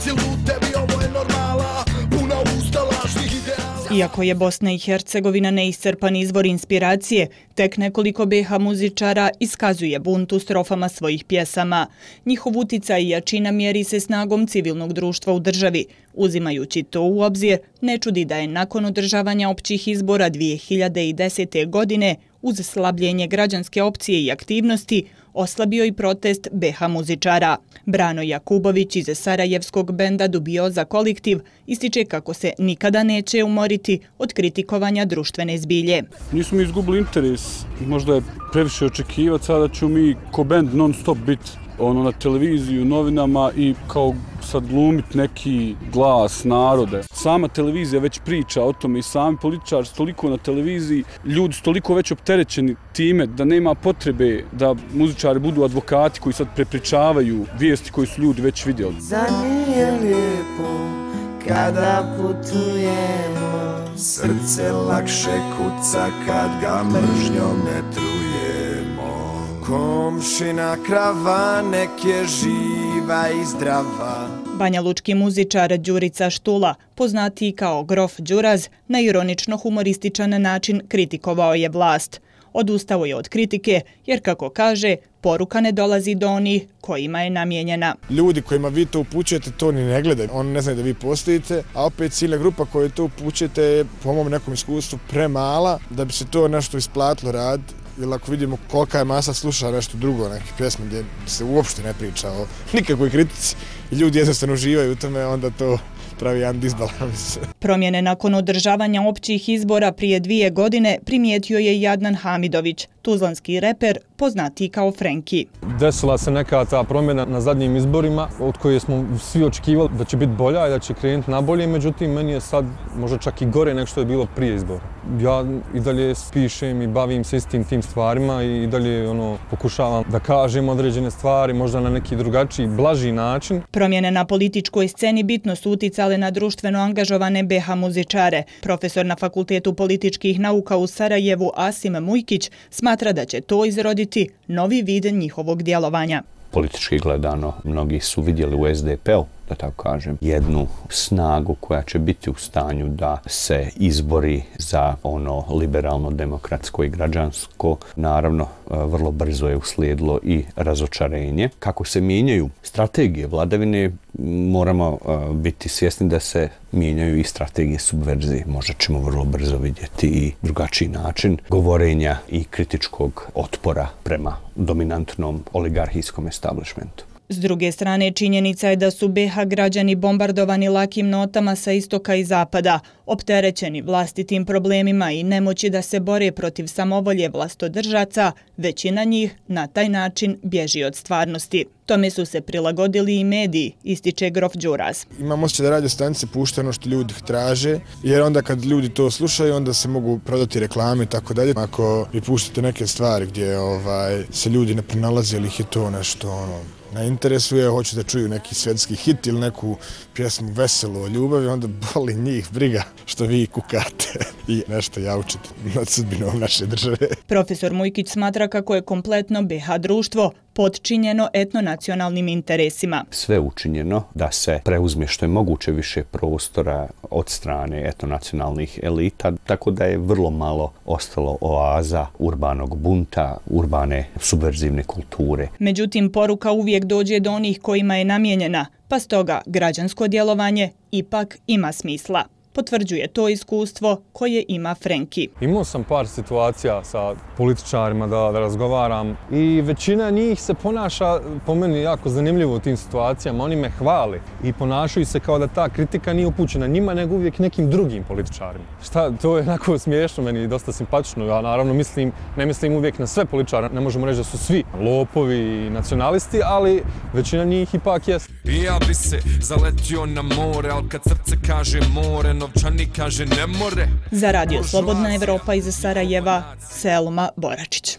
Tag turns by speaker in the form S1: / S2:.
S1: si lud, tebi ovo je normala, puna usta lažnih ideala.
S2: Iako je Bosna i Hercegovina neiscrpan izvor inspiracije, tek nekoliko BiH muzičara iskazuje bunt u strofama svojih pjesama. Njihov uticaj i jačina mjeri se snagom civilnog društva u državi. Uzimajući to u obzir, ne čudi da je nakon održavanja općih izbora 2010. godine, uz slabljenje građanske opcije i aktivnosti, oslabio i protest BiH muzičara. Brano Jakubović iz sarajevskog benda Dubioza kolektiv ističe kako se nikada neće umoriti od kritikovanja društvene zbilje.
S3: Nismo mi izgubili interes, možda je previše očekivati, sada ću mi ko bend non stop biti na televiziji, u novinama i kao sad glumit neki glas narode. Sama televizija već priča o tome i sami političari su toliko na televiziji, ljudi su toliko već opterećeni time da nema potrebe da muzičari budu advokati koji sad prepričavaju vijesti koje su ljudi već vidjeli.
S4: Za nije lijepo kada putujemo,
S1: Srce lakše kuca kad ga mržnjom ne trujemo. Komšina krava nek je živa i zdrava.
S2: Banjalučki muzičar Đurica Štula, poznatiji kao Grof Đuraz, na ironično-humorističan način kritikovao je vlast. Odustao je od kritike jer, kako kaže, poruka ne dolazi do onih kojima je namijenjena.
S5: Ljudi kojima vi to upućujete to ni ne gledaju. Oni ne znaju da vi postojite, a opet ciljna grupa koju to upućujete je po mom nekom iskustvu premala da bi se to nešto isplatilo raditi. Ili ako vidimo kolika je masa sluša nešto drugo, neke pjesme gdje se uopšte ne priča o nikakvoj kritici i ljudi jednostavno uživaju u tome, onda to pravi jedan disbalans.
S2: Promjene nakon održavanja općih izbora prije 2 godine primijetio je i Adnan Hamidović, tuzlanski reper poznatiji kao Frenki.
S6: Desila se neka ta promjena na zadnjim izborima od koje smo svi očekivali da će biti bolja i da će krenuti na bolje, međutim meni je sad možda čak i gore nego što je bilo prije izbora. Ja i dalje pišem i bavim se istim tim stvarima i dalje pokušavam da kažem određene stvari, možda na neki drugačiji, blaži način.
S2: Promjene na političkoj sceni bitno su uticale na društveno angažovane BiH muzičare. Profesor na Fakultetu političkih nauka u Sarajevu Asim Mujkić smatra da će to izroditi novi vid njihovog djelovanja.
S7: Politički gledano, mnogi su vidjeli u SDP-u, da tako kažem, jednu snagu koja će biti u stanju da se izbori za ono liberalno, demokratsko i građansko. Naravno, vrlo brzo je uslijedilo i razočarenje. Kako se mijenjaju strategije vladavine, moramo biti svjesni da se mijenjaju i strategije subverzije. Možda ćemo vrlo brzo vidjeti i drugačiji način govorenja i kritičkog otpora prema dominantnom oligarhijskom establishmentu.
S2: S druge strane, činjenica je da su BiH građani bombardovani lakim notama sa istoka i zapada, opterećeni vlastitim problemima i nemoći da se bore protiv samovolje vlastodržaca, većina njih na taj način bježi od stvarnosti. Tome su se prilagodili i mediji, ističe Grof Đuraz.
S5: Imam osjećaj da radio stanice puštaju ono što ljudi traže, jer onda kad ljudi to slušaju, onda se mogu prodati reklame i tako dalje. Ako vi puštate neke stvari gdje se ljudi ne pronalaze ili ih je to nešto ne interesuje, hoće da čuju neki svjetski hit ili neku pjesmu veselu o ljubavi, onda boli njih briga što vi kukate i nešto jaučete nad sudbinom naše države.
S2: Profesor Mujkić smatra kako je kompletno BiH društvo potčinjeno etnonacionalnim interesima.
S7: Sve učinjeno da se preuzme što je moguće više prostora od strane etnonacionalnih elita, tako da je vrlo malo ostalo oaza urbanog bunta, urbane subverzivne kulture.
S2: Međutim, poruka uvijek dođe do onih kojima je namijenjena, pa stoga građansko djelovanje ipak ima smisla. Potvrđuje to iskustvo koje ima Frenki.
S6: Imao sam par situacija sa političarima da razgovaram i većina njih se ponaša po meni jako zanimljivo u tim situacijama. Oni me hvali i ponašaju se kao da ta kritika nije upućena njima, nego uvijek nekim drugim političarima. To je onako smiješno meni i dosta simpatično. Ja naravno ne mislim uvijek na sve političare, ne možemo reći da su svi lopovi i nacionalisti, ali većina njih ipak jest.
S8: Ja bi se zaletio na more, ali kad srce kaže more, novčani kaže ne more.
S2: Za Radio Slobodna Evropa iz Sarajeva, Selma Boračić.